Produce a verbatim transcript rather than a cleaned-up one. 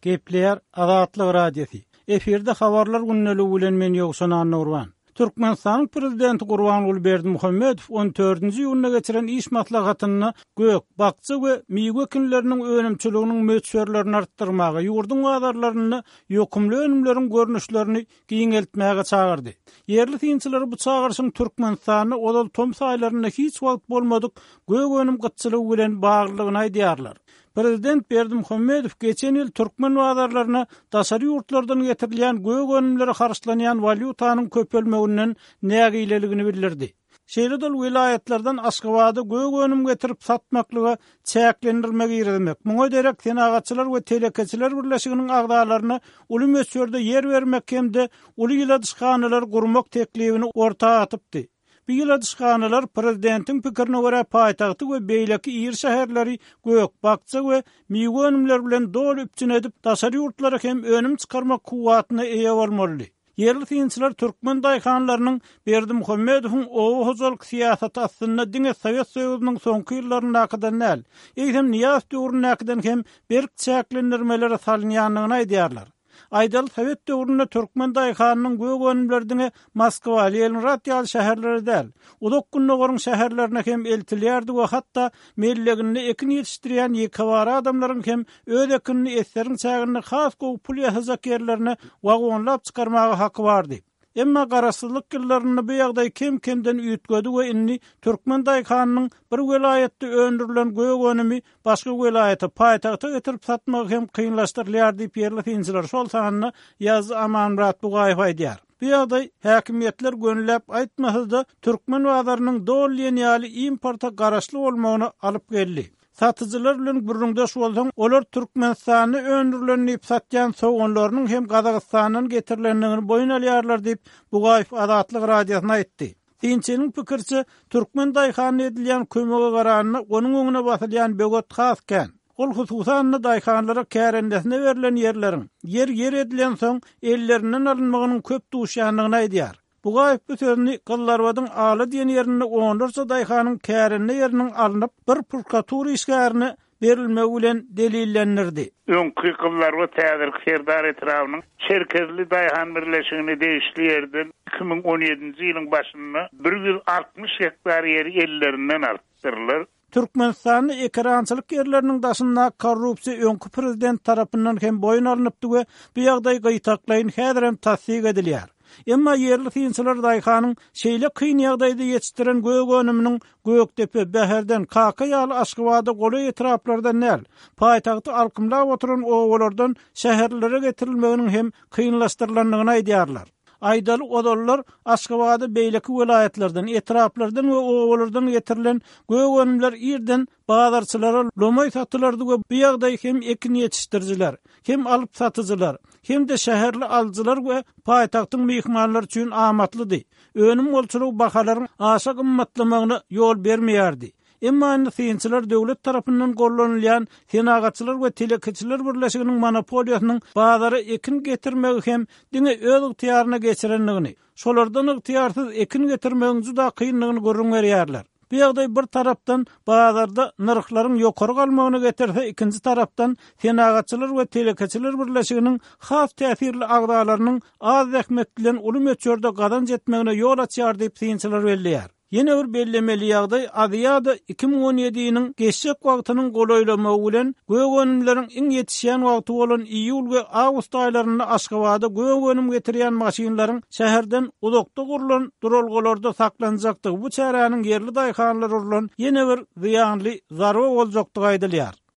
Gepleýär Azatlyk Radiosy. Efirde habarlar gündeligi bilen men Ýowşan Annagurban. Türkmenistanyň prezidenti Gurbanguly Berdimuhamedow on dördünji iýunda geçiren iş maslahatynda gök, bakja we miwe ekinleriniň önümçiliginiň möçberlerini artdyrmaga, ýurduň bazarlarynda ýokumly önümleriň görnüşlerini giňeltmäge çagyrdy. Ýerli synçylar bu çagyryşyň Türkmenistanda ozal tomus aýlarynda hiç wagt bolmadyk gök önüm gytçylygy bilen baglydygyny aýdýarlar. Prezident Berdimuhamedow geçen ýyl türkmen bazarlaryna daşary ýurtlardan getirilýän gök önümlere harçlanýan walýutanyň köpelmeginden nägileligini bildirdi. Şeýle-de ol welaýatlardan Aşgabada gök önüm getirip satmaklyga çäklendirme girizmek, muňa derek Senagatçylar we telekeçiler birleşiginiň agzalaryna uly möçberde ýer bermek hem-de uly ýyladyşhanalar gurmak teklibini orta atypdy. Bu ýyladyşhanalar prezidentiň pikirine görä paýtagty we beýleki iri şäherleri gök, bakja we miwe önümleri bilen doly üpjün edip, daşary ýurtlara hem önüm çykarmak kuwwatyna eýe bolmalydy. Ýerli synçylar türkmen daýhanlarynyň Berdimuhamedowyň oba hojalyk syýasaty astynda diňe Sowet Soýuzynyň soňky ýyllaryndakydan däl, eýsem Nyýazow döwründäkiden hem berk çäklendirmelere salynýandygyny aýdýarlar. Aýdaly, Sowet döwründe türkmen daýhanynyň gök önümleri diňe Moskwa, Leningrad ýaly şäherlere däl, uzak gündogaryň şäherlerine hem eltilýärdi we hatda melleginde ekin ýetişdirýän ýekebara adamlaryň hem öz ekinini eseriň çäginde has gowy pul ýasajak ýerlerine wagonlap çykarmaga haky bardy. Emma garaşsyzlyk ýyllarynda bu ýagdaý kem-kemden üýtgedi we indi türkmen daýhanynyň bir welaýatda öndürilen gök önümi başga welaýata, paýtagta getirip satmagy hem kynlaşdyrylýar diýip ýerli synçylar, şol sanda Ýazdy Amanmyrat Bugaýew aýdýar. Bu ýagdaý häkimiýetler gönüläp aýtmasa-da türkmen bazarynyň doly diýen ýaly importa garaşly bolmagyna alyp geldi. Satyjylar bilen gürrüňdeş bolsaň, olar Türkmenistanda öndürilen diýip satýan soganlarynyň hem Gazagystandan getirilendigini boýun alýarlar diýip Bugaýew Azatlyk Radiosyna aýtdy. Synçynyň pikiriçe, türkmen daýhanyna edilýän kömege garanda onuň öňüne basylýan böwet has kän. Ol hususan-da daýhanlara kärendesine berlen ýerleriň ýer ýer edilen soň ellerinden alynmagynyň köp duşýandygyny aýdýar. Bugaýew bu sözüni Gyzlarbadyň Ala diýen ýerinde onlarça daýhanyň kärende ýeriniň alnyp bir prokuratura işgärine berilmegi bilen delillendirdi. Öňki Gyzlarbat häzirki Serdar etrabynyň Çerkezli daýhan birleşigine degişli ýerden iki müň on ýedinji ýylyň başynda bir ýüz altmyş gektar ýeri ellerinden alypdyrlar. Türkmenistanda ekerançylyk ýerleriniň daşynda korrupsiýa öňki prezident tarapyndan hem boýun alnypdy we bu ýagdaý gyýtaklaýyn häzir hem tassyk edilýär. Emma ýerli synçylar daýhanyň şeýle kyn ýagdaýda ýetişdiren gök önüminiň Gökdepe, Bäherden, Kaka ýaly Aşgabada golaý etraplardan däl, paýtagty alkymlap oturan obalardan şäherlere getirilmeginiň hem kynlaşdyrylandygyny aýdýarlar. Aýdaly ozallar Aşgabada beýleki welaýatlardan, etraplardan we obalardan getirilen gök önümler irden bazarçylara lomaý satylardy we bu ýagdaý hem ekin ýetişdiriciler, hem alyp satyjylar, hem de şäherli alyjylar we paýtagtyň myhmanlary üçin amatlydy. Önüm bolçulygy bahalaryň aşa gymmatlamagyna ýol bermeýärdi. Emma indi synçylar döwlet tarapyndan gollanylýan Senagatçylar we telekeçiler birleşiginiň monopoliýasynyň bazara ekin getirmegi hem diňe öz ygtyýaryna geçirendigini, şolardan ygtyýarsyz ekin getirmegiň juda kyndygyny gürrüň berýärler. Bu ýagdaý bir tarapdan bazarda nyrhlaryň ýokary galmagyna getirse, ikinji tarapdan Senagatçylar we telekeçiler birleşiginiň has täsirli agzalarynyň az zähmet bilen uly möçberde gazanç etmegine ýol açýar diýip synçylar belleýär. Ýene bir bellemeli ýagdaý Aziýada iki müň on ýediniň geçjek wagtynyň golaýlamagy bilen gök önümleriň iň ýetişýän wagty bolan iýul we awgust aýlarynda Aşgabada gök önüm getirýän maşynlaryň şäherden uzakda gurlan duralgalarda saklanjakdygy bu çäräniň ýerli daýhanlar urlan ýene bir zyýanly zarba boljakdygy aýdylýar.